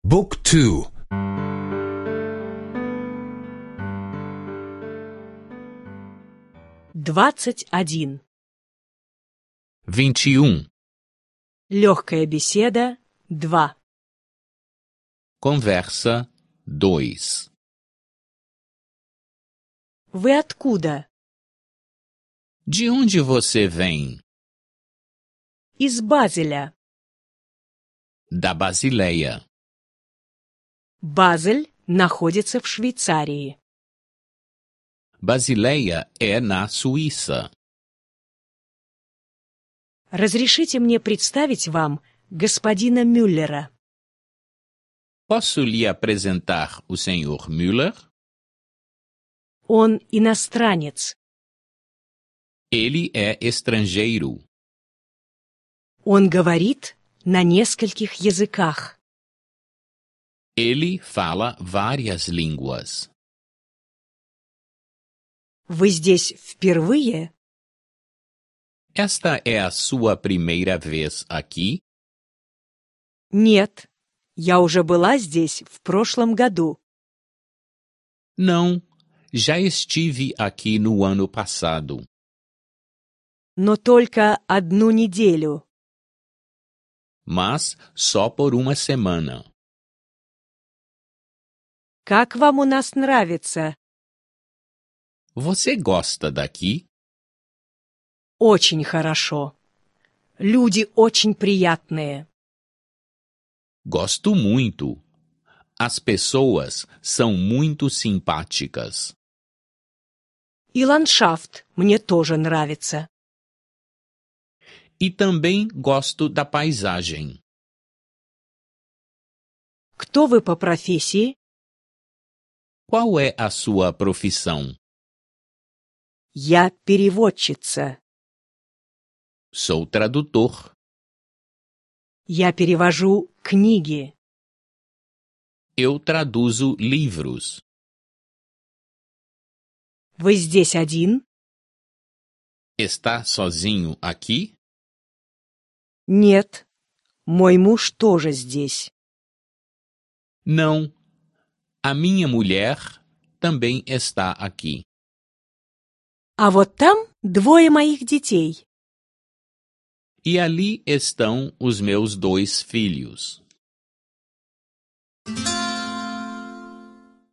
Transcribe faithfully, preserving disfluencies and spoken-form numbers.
Book two. Двадцать один. vinte e um. Легкая беседа. Два. Conversa dois. Вы откуда? De onde você vem? Из Базеля. Da Basileia. Базель находится в Швейцарии. Basileia é na Suíça. Разрешите мне представить вам господина Мюллера. Posso lhe apresentar o senhor Müller? Он иностранец. Ele é estrangeiro. Он говорит на нескольких языках. Ele fala várias línguas. Вы здесь впервые? Esta é a sua primeira vez aqui? Нет, я уже была здесь в прошлом году. Não, já estive aqui no ano passado. Но только одну неделю. Mas só por uma semana. Как вам у нас нравится? Você gosta daqui? Очень хорошо. Люди очень приятные. Gosto muito. As pessoas são muito simpáticas. И ландшафт мне тоже нравится. E também gosto da paisagem. Кто вы по профессии? Qual é a sua profissão? Я переводчица. Sou tradutor. Я перевожу книги. Eu traduzo livros. Вы здесь один? Está sozinho aqui? Нет. Мой муж тоже здесь. Não. A minha mulher também está aqui. А вот там двое моих детей. E ali estão os meus dois filhos.